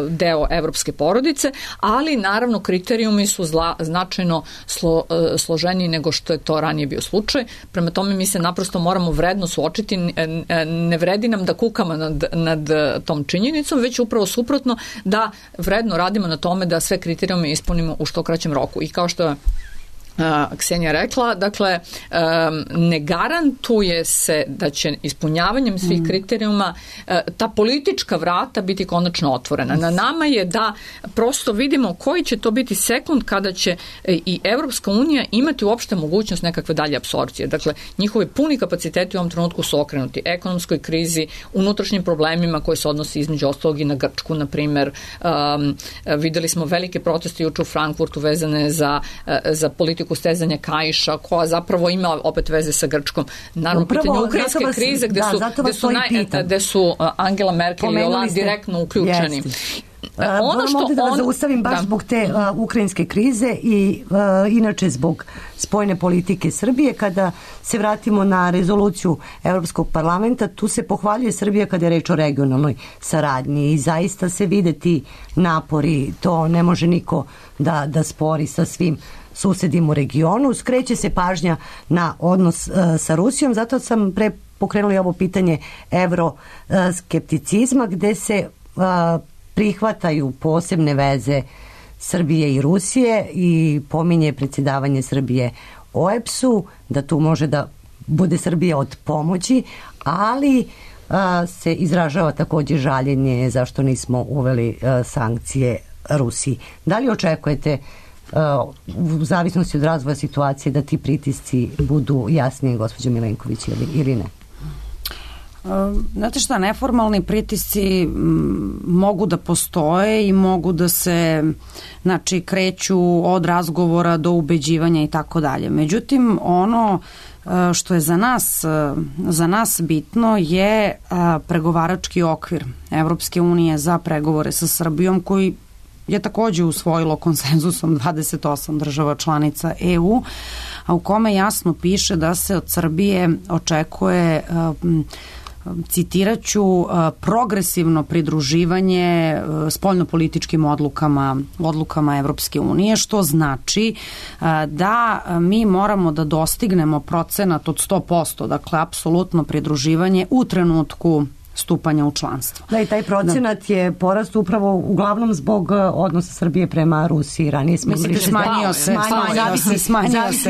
deo evropske porodice, ali naravno kriterijumi su značajno složeniji nego što je to ranije bio slučaj. Prema tome mi se naprosto moramo vredno suočiti, ne vredi nam da kukamo nad tom činjenicom, već upravo suprotno da vredno radimo na tome da sve kriterijume ispunimo u što kraćem roku. I kao što je Ksenija rekla, dakle, ne garantuje se da će ispunjavanjem svih kriterijuma ta politička vrata biti konačno otvorena. Na nama je da prosto vidimo koji će to biti sekund kada će i Evropska unija imati uopšte mogućnost nekakve dalje apsorpcije. Dakle, njihovi puni kapaciteti u ovom trenutku su okrenuti ekonomskoj krizi, unutrašnjim problemima koji se odnosi između ostalog i na Grčku, na primer. Videli smo velike proteste juče u Frankfurtu vezane za politiku stezanja kaiša, koja zapravo ima opet veze sa Grčkom. Naravno, pitanje ukrajinske krize gde su Angela Merkel i Hollande direktno uključeni. Moram ovdje da vas zaustavim baš zbog te ukrajinske krize i inače zbog spoljne politike Srbije. Kada se vratimo na rezoluciju Evropskog parlamenta, tu se pohvaljuje Srbija kada je reč o regionalnoj saradnji i zaista se vide ti napori, to ne može niko da spori sa svim susedim u regionu. Skreće se pažnja na odnos sa Rusijom, zato sam pre pokrenula ovo pitanje evroskepticizma, gde se prihvataju posebne veze Srbije i Rusije i pominje predsjedavanje Srbije OEBS-u, da tu može da bude Srbija od pomoći, ali se izražava također žaljenje zašto nismo uveli sankcije Rusiji. Da li očekujete u zavisnosti od razvoja situacije da ti pritisci budu jasnije, gospođo Milenković, ili ne? Znate šta, neformalni pritisci mogu da postoje i mogu da se, znači, kreću od razgovora do ubeđivanja i tako dalje. Međutim, ono što je za nas bitno je pregovarački okvir Evropske unije za pregovore sa Srbijom, koji je takođe usvojilo konsenzusom 28 država članica EU, a u kome jasno piše da se od Srbije očekuje, citiraću, progresivno pridruživanje spoljnopolitičkim odlukama Evropske unije, što znači da mi moramo da dostignemo procenat od 100%, dakle apsolutno pridruživanje u trenutku stupanja u članstvo. Da, i taj procenat je porast upravo uglavnom zbog odnosa Srbije prema Rusiji. Ranije smo mislite, smanjio se.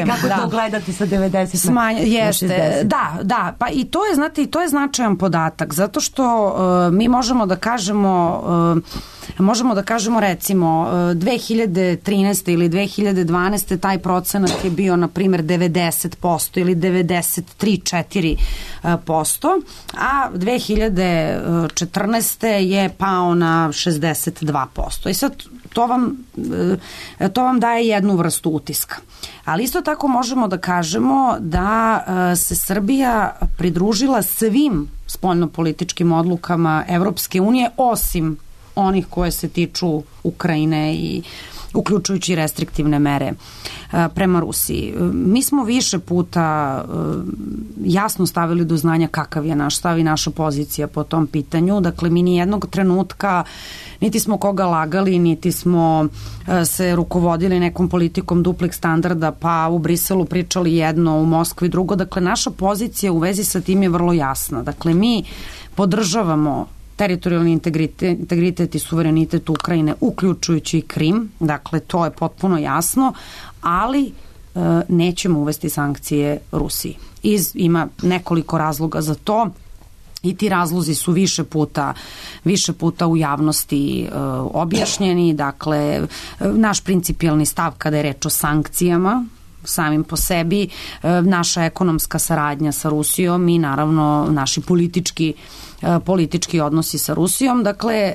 Kako to gledate sa 90 na 60? Da, pa i to je, znate, i to je značajan podatak, zato što mi možemo da kažemo recimo 2013. ili 2012. taj procenat je bio na primjer 90% ili 93-4%, a 2014. je pao na 62%. I sad to vam daje jednu vrstu utiska. Ali isto tako možemo da kažemo da se Srbija pridružila svim spoljnopolitičkim odlukama Evropske unije, osim onih koje se tiču Ukrajine i uključujući restriktivne mere prema Rusiji. Mi smo više puta jasno stavili do znanja kakav je naš stav i naša pozicija po tom pitanju. Dakle, mi ni jednog trenutka niti smo koga lagali, niti smo se rukovodili nekom politikom duplih standarda, pa u Briselu pričali jedno, u Moskvi drugo. Dakle, naša pozicija u vezi sa tim je vrlo jasna. Dakle, mi podržavamo teritorijalni integritet i suverenitet Ukrajine, uključujući i Krim, dakle to je potpuno jasno, ali nećemo uvesti sankcije Rusiji. Ima nekoliko razloga za to i ti razlozi su više puta u javnosti objašnjeni. Dakle, naš principijelni stav kada je reč o sankcijama samim po sebi, naša ekonomska saradnja sa Rusijom i naravno naši politički odnosi sa Rusijom. Dakle,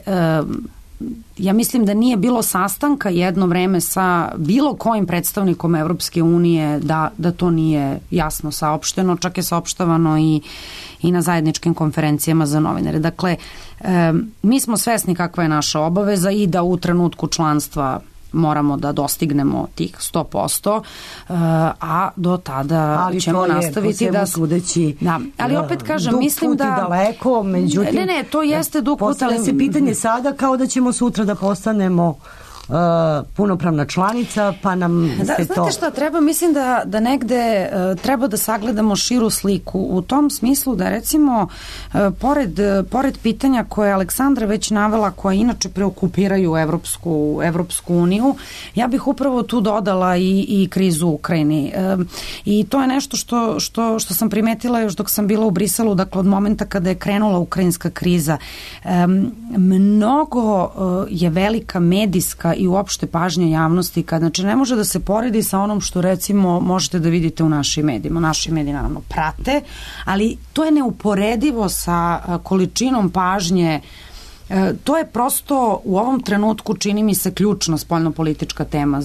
ja mislim da nije bilo sastanka jedno vreme sa bilo kojim predstavnikom Evropske unije da to nije jasno saopšteno, čak je saopštavano i na zajedničkim konferencijama za novinare. Dakle, mi smo svesni kakva je naša obaveza i da u trenutku članstva moramo da dostignemo tih 100%, a do tada ćemo nastaviti da... Sudeći, da, ali opet kažem, mislim da... daleko, međutim... Ne, to jeste dug put, ali... se pitanje sada kao da ćemo sutra da postanemo punopravna članica, pa nam se to... Znate šta treba? Mislim da negde treba da sagledamo širu sliku u tom smislu da recimo pored pitanja koje je Aleksandra već navela, koja inače preokupiraju Evropsku uniju, ja bih upravo tu dodala i krizu u Ukrajini. I to je nešto što sam primetila još dok sam bila u Briselu, dakle od momenta kada je krenula ukrajinska kriza. Mnogo je velika medijska i uopšte pažnja javnosti, znači ne može da se poredi sa onom što recimo možete da vidite u našim medijima. Naši mediji naravno prate, ali to je neuporedivo sa količinom pažnje. To je prosto u ovom trenutku, čini mi se, ključna spoljnopolitička tema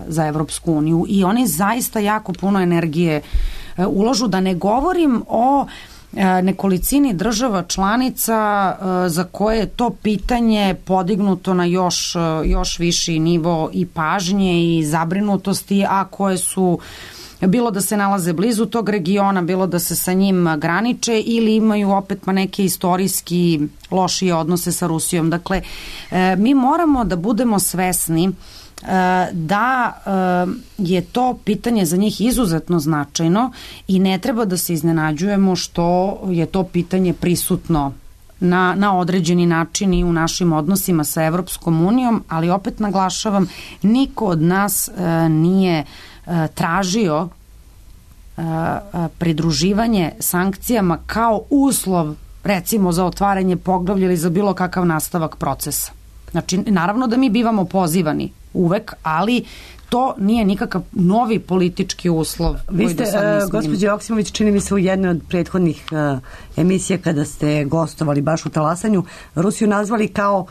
za Evropsku uniju i oni zaista jako puno energije uložu, da ne govorim o nekolicini država članica za koje je to pitanje podignuto na još viši nivo i pažnje i zabrinutosti, a koje su bilo da se nalaze blizu tog regiona, bilo da se sa njim graniče ili imaju opet neke istorijski lošije odnose sa Rusijom. Dakle, mi moramo da budemo svesni da je to pitanje za njih izuzetno značajno i ne treba da se iznenađujemo što je to pitanje prisutno na određeni način i u našim odnosima sa Evropskom unijom, ali opet naglašavam, niko od nas nije tražio pridruživanje sankcijama kao uslov recimo za otvaranje poglavlja ili za bilo kakav nastavak procesa. Znači, naravno da mi bivamo pozivani uvek, ali to nije nikakav novi politički uslov. Vi ste, gospođo Joksimović, čini mi se u jednoj od prethodnih emisija kada ste gostovali baš u Talasanju, Rusiju nazvali kao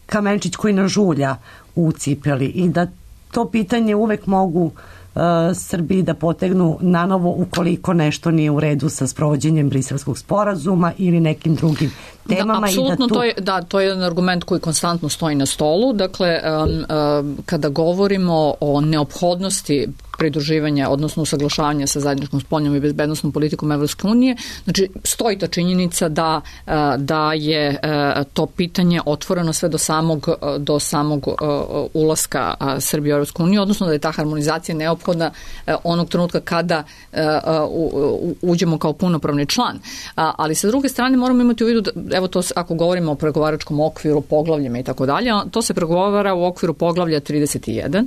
kamenčić koji nas žulja u cipeli i da to pitanje uvek mogu Srbiji da potegnu nanovo ukoliko nešto nije u redu sa sprovođenjem Briselskog sporazuma ili nekim drugim temama. Apsolutno, to je jedan argument koji konstantno stoji na stolu. Dakle, kada govorimo o neophodnosti pridruživanja, odnosno usaglašavanja sa zajedničkom spoljnom i bezbednosnom politikom Evropske unije, znači stoji ta činjenica da je to pitanje otvoreno sve do samog ulaska Srbije u Evropsku uniju, odnosno da je ta harmonizacija neophodna onog trenutka kada uđemo kao punopravni član. Ali sa druge strane moramo imati u vidu, evo to ako govorimo o pregovaračkom okviru, poglavljima i tako dalje, to se pregovara u okviru poglavlja 31,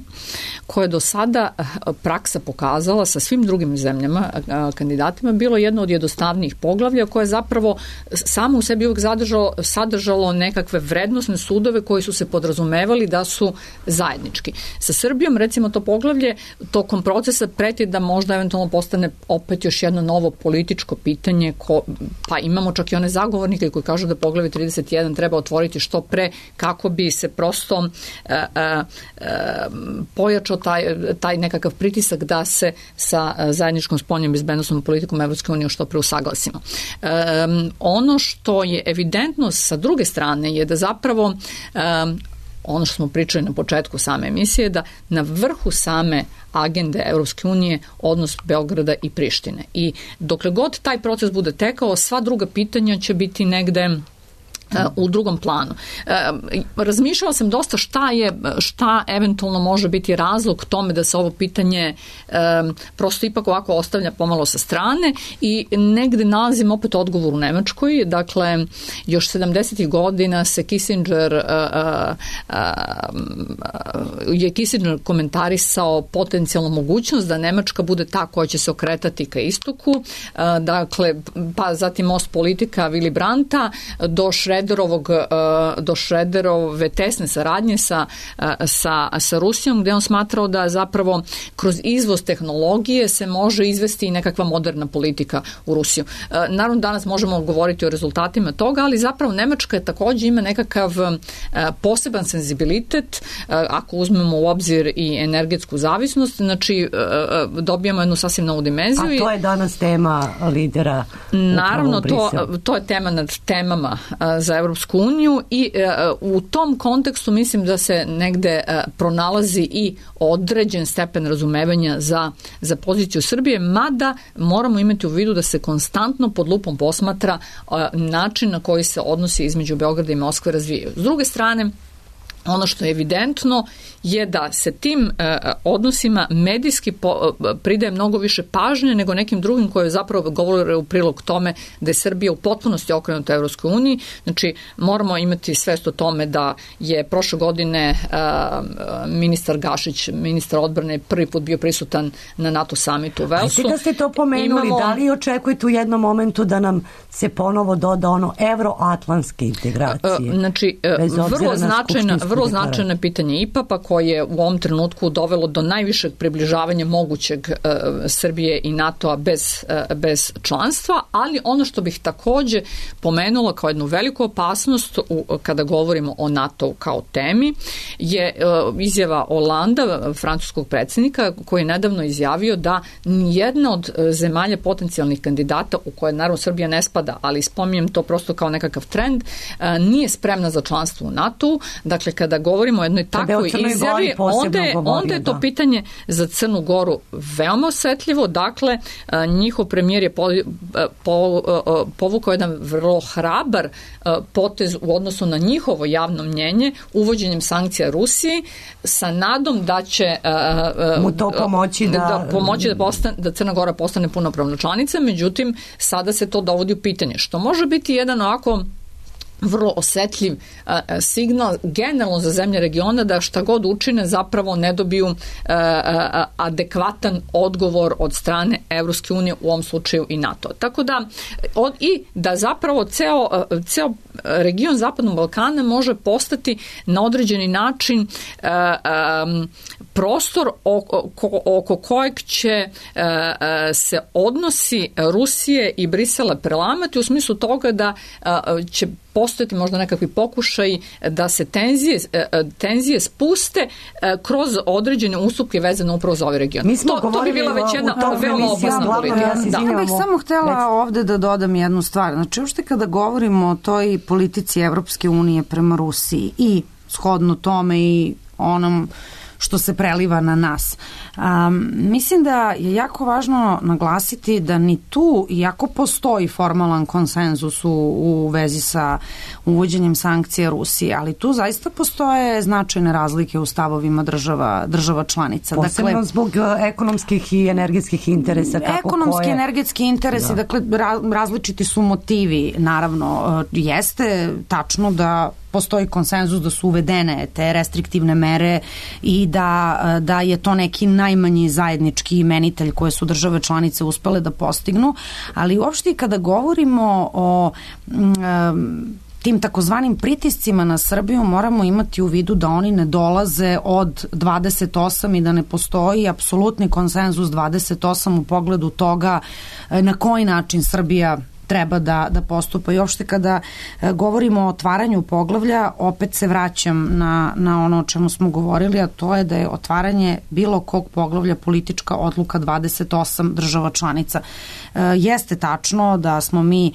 koje do sada praksa pokazala sa svim drugim zemljama, kandidatima, bilo jedno od jednostavnijih poglavlja koje zapravo samo u sebi uvijek sadržalo nekakve vrednosne sudove koji su se podrazumevali da su zajednički. Sa Srbijom, recimo, to poglavlje tokom procesa preti da možda eventualno postane opet još jedno novo političko pitanje, pa imamo čak i one zagovornike koji kažu da poglavlje 31 treba otvoriti što pre kako bi se prosto pojačao taj nekakav pritisak da se sa zajedničkom spoljnom bezbednosnom politikom Evropske unije što pre usaglasimo. Ono što je evidentno sa druge strane je da zapravo ono što smo pričali na početku same emisije, da na vrhu same agende Evropske unije odnos Beograda i Prištine. I dokle god taj proces bude tekao, sva druga pitanja će biti negde u drugom planu. Razmišljala sam dosta šta eventualno može biti razlog tome da se ovo pitanje prosto ipak ovako ostavlja pomalo sa strane i negde nalazim opet odgovor u Nemačkoj. Dakle, još 70. godina se Kissinger komentarisao potencijalnu mogućnost da Nemačka bude ta koja će se okretati ka istoku. Dakle, pa zatim Ostpolitika Willy Brandta do Schröderove tesne saradnje sa Rusijom, gde on smatrao da zapravo kroz izvoz tehnologije se može izvesti i nekakva moderna politika u Rusiju. Naravno, danas možemo govoriti o rezultatima toga, ali zapravo Nemačka takođe ima nekakav poseban senzibilitet, ako uzmemo u obzir i energetsku zavisnost, znači dobijamo jednu sasvim novu dimenziju. A to je danas tema lidera. Naravno, to je tema nad temama za Evropsku uniju i u tom kontekstu mislim da se negde pronalazi i određen stepen razumevanja za poziciju Srbije, mada moramo imati u vidu da se konstantno pod lupom posmatra način na koji se odnosi između Beograda i Moskve razvijaju. S druge strane, ono što je evidentno je da se tim odnosima medijski pridaje mnogo više pažnje nego nekim drugim koje zapravo govore u prilog tome da je Srbija u potpunosti okrenuta Evropskoj uniji. Znači, moramo imati svest o tome da je prošle godine ministar Gašić, ministar odbrane, prvi put bio prisutan na NATO samitu u Velsu. Ajde da ste to pomenuli, da li očekujete u jednom momentu da nam se doda ono evroatlantske integracije? Znači, vrlo značajno pitanje IPA-a koje je u ovom trenutku dovelo do najvišeg približavanja mogućeg Srbije i NATO-a bez članstva, ali ono što bih takođe pomenula kao jednu veliku opasnost kada govorimo o NATO kao temi je izjava Holanda, francuskog predsjednika, koji je nedavno izjavio da nijedna od zemalja potencijalnih kandidata, u koje naravno Srbija ne spada, ali spominjem to prosto kao nekakav trend, nije spremna za članstvo u NATO-u. Dakle, kada govorimo o jednoj takvoj izjavi, onda je to pitanje za Crnu Goru veoma osetljivo. Dakle, njihov premijer je povukao jedan vrlo hrabar potez u odnosu na njihovo javno mnjenje uvođenjem sankcija Rusiji sa nadom da će mu to pomoći da Crna Gora postane punopravna članica. Međutim, sada se to dovodi u pitanje, što može biti jedan ovako vrlo osetljiv signal generalno za zemlje regiona da šta god učine zapravo ne dobiju adekvatan odgovor od strane Evropske unije, u ovom slučaju i NATO. Tako da i da zapravo ceo region Zapadnog Balkana može postati na određeni način prostor oko kojeg će se odnosi Rusije i Brisela prelamati u smislu toga da će postojati možda nekakvi pokušaj da se tenzije spuste kroz određene ustupke vezane upravo za ovaj region. To bi bila već jedna veoma opasna politika. Ja bih samo htela ovde da dodam jednu stvar. Znači, uopšte kada govorimo o toj politici Evropske unije prema Rusiji i shodno tome i onom što se preliva na nas. Mislim da je jako važno naglasiti da ni tu, iako postoji formalan konsenzus u vezi sa uvođenjem sankcija Rusije, ali tu zaista postoje značajne razlike u stavovima država članica. Posebno zbog ekonomskih i energetskih interesa. Ekonomski i energetski interesi, dakle različiti su motivi, naravno. Jeste tačno da postoji konsenzus da su uvedene te restriktivne mere i da je to neki najmanji zajednički imenitelj koje su države članice uspele da postignu, ali uopšte kada govorimo o tim takozvanim pritiscima na Srbiju moramo imati u vidu da oni ne dolaze od 28 i da ne postoji apsolutni konsenzus 28 u pogledu toga na koji način Srbija treba da postupa. I uopšte kada govorimo o otvaranju poglavlja, opet se vraćam na ono o čemu smo govorili, a to je da je otvaranje bilo kog poglavlja politička odluka 28 država članica. Jeste tačno da smo mi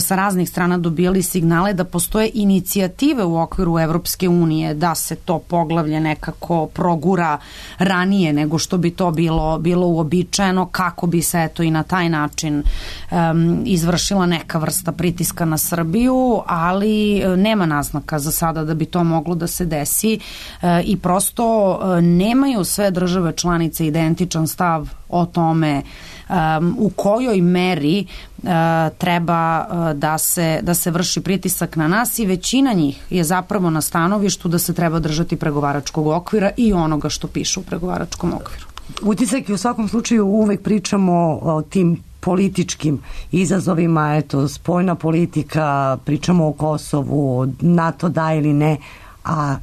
sa raznih strana dobijali signale da postoje inicijative u okviru Evropske unije da se to poglavlje nekako progura ranije nego što bi to bilo uobičajeno, kako bi se eto i na taj način izvršila neka vrsta pritiska na Srbiju, ali nema naznaka za sada da bi to moglo da se desi i prosto nemaju sve države članice identičan stav o tome u kojoj meri treba da se vrši pritisak na nas i većina njih je zapravo na stanovištu da se treba držati pregovaračkog okvira i onoga što piše u pregovaračkom okviru. Utisak je u svakom slučaju uvek pričamo o tim političkim izazovima, eto, spoljna politika, pričamo o Kosovu, NATO da ili ne, a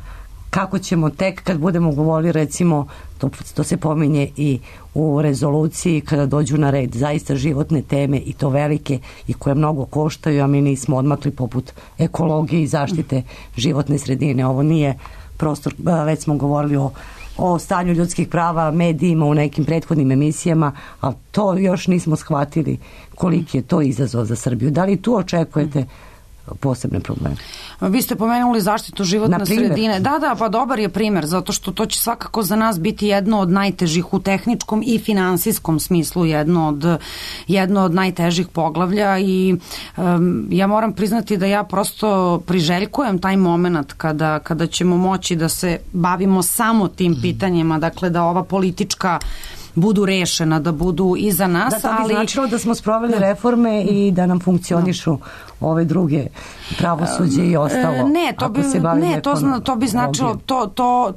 kako ćemo tek kad budemo govorili, recimo, to se pominje i u rezoluciji kada dođu na red zaista životne teme i to velike i koje mnogo koštaju, a mi nismo odmakli poput ekologije i zaštite životne sredine. Ovo nije prostor, već smo govorili o stanju ljudskih prava, medijima u nekim prethodnim emisijama, a to još nismo shvatili koliki je to izazov za Srbiju. Da li tu očekujete posebne probleme? Vi ste pomenuli zaštitu životne sredine. Da, pa dobar je primer, zato što to će svakako za nas biti jedno od najtežih u tehničkom i finansijskom smislu, jedno od najtežih poglavlja i ja moram priznati da ja prosto priželjkujem taj moment kada ćemo moći da se bavimo samo tim pitanjima, dakle da ova politička budu rešena, da budu iza nas. Da, to bi značilo da smo sproveli reforme i da nam funkcionišu ove druge pravosuđe i ostalo. To bi značilo,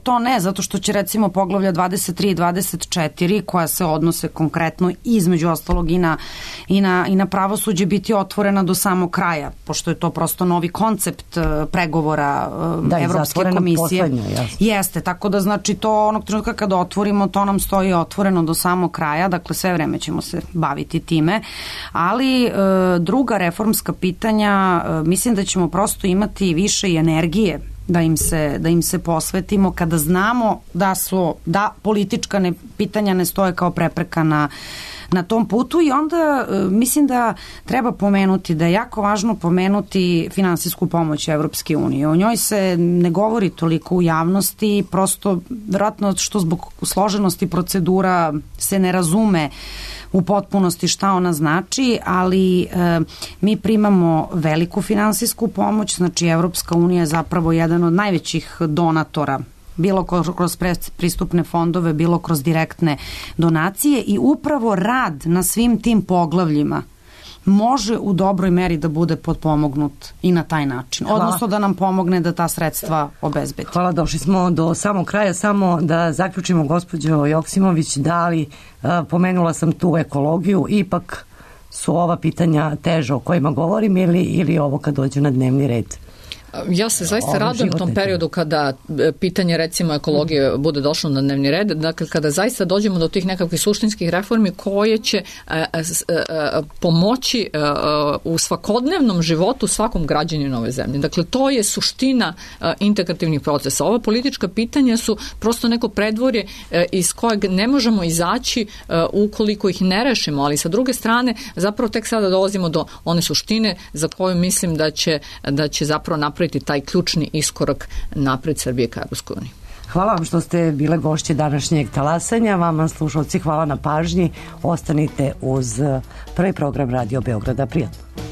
to ne, zato što će recimo poglavlja 23 i 24 koja se odnose konkretno između ostalog i na pravosuđe biti otvorena do samog kraja, pošto je to prosto novi koncept pregovora Evropske komisije. Jeste, tako da znači to onog trenutka kada otvorimo, to nam stoji otvoreno do samog kraja, dakle sve vreme ćemo se baviti time, ali druga reformska pitanja, mislim da ćemo prosto imati više i energije da im se posvetimo kada znamo da politička pitanja ne stoje kao prepreka na tom putu i onda mislim da treba pomenuti da je jako važno pomenuti finansijsku pomoć Evropske unije. O njoj se ne govori toliko u javnosti, prosto vjerojatno što zbog složenosti procedura se ne razume u potpunosti šta ona znači, ali mi primamo veliku finansijsku pomoć, znači Evropska unija je zapravo jedan od najvećih donatora, bilo kroz pristupne fondove, bilo kroz direktne donacije i upravo rad na svim tim poglavljima može u dobroj meri da bude potpomognut i na taj način. Odnosno da nam pomogne da ta sredstva obezbedi. Hvala, došli smo do samog kraja. Samo da zaključimo, gospođo Joksimović, da li pomenula sam tu ekologiju, ipak su ova pitanja teža o kojima govorim ili ovo kad dođu na dnevni red? Ja se zaista radujem u tom periodu kada pitanje recimo ekologije bude došlo na dnevni red, dakle kada zaista dođemo do tih nekakvih suštinskih reformi koje će pomoći u svakodnevnom životu svakom građaninu ove zemlje. Dakle, to je suština integrativnih procesa. Ova politička pitanja su prosto neko predvorje iz kojeg ne možemo izaći ukoliko ih ne rešimo, ali sa druge strane zapravo tek sada dolazimo do one suštine za koju mislim da će zapravo napraviti taj ključni iskorak napred Srbije ka Evropskoj uniji. Hvala vam što ste bile gošće današnjeg talasanja. Vama, slušalci, hvala na pažnji. Ostanite uz prvi program Radio Beograda. Prijatno.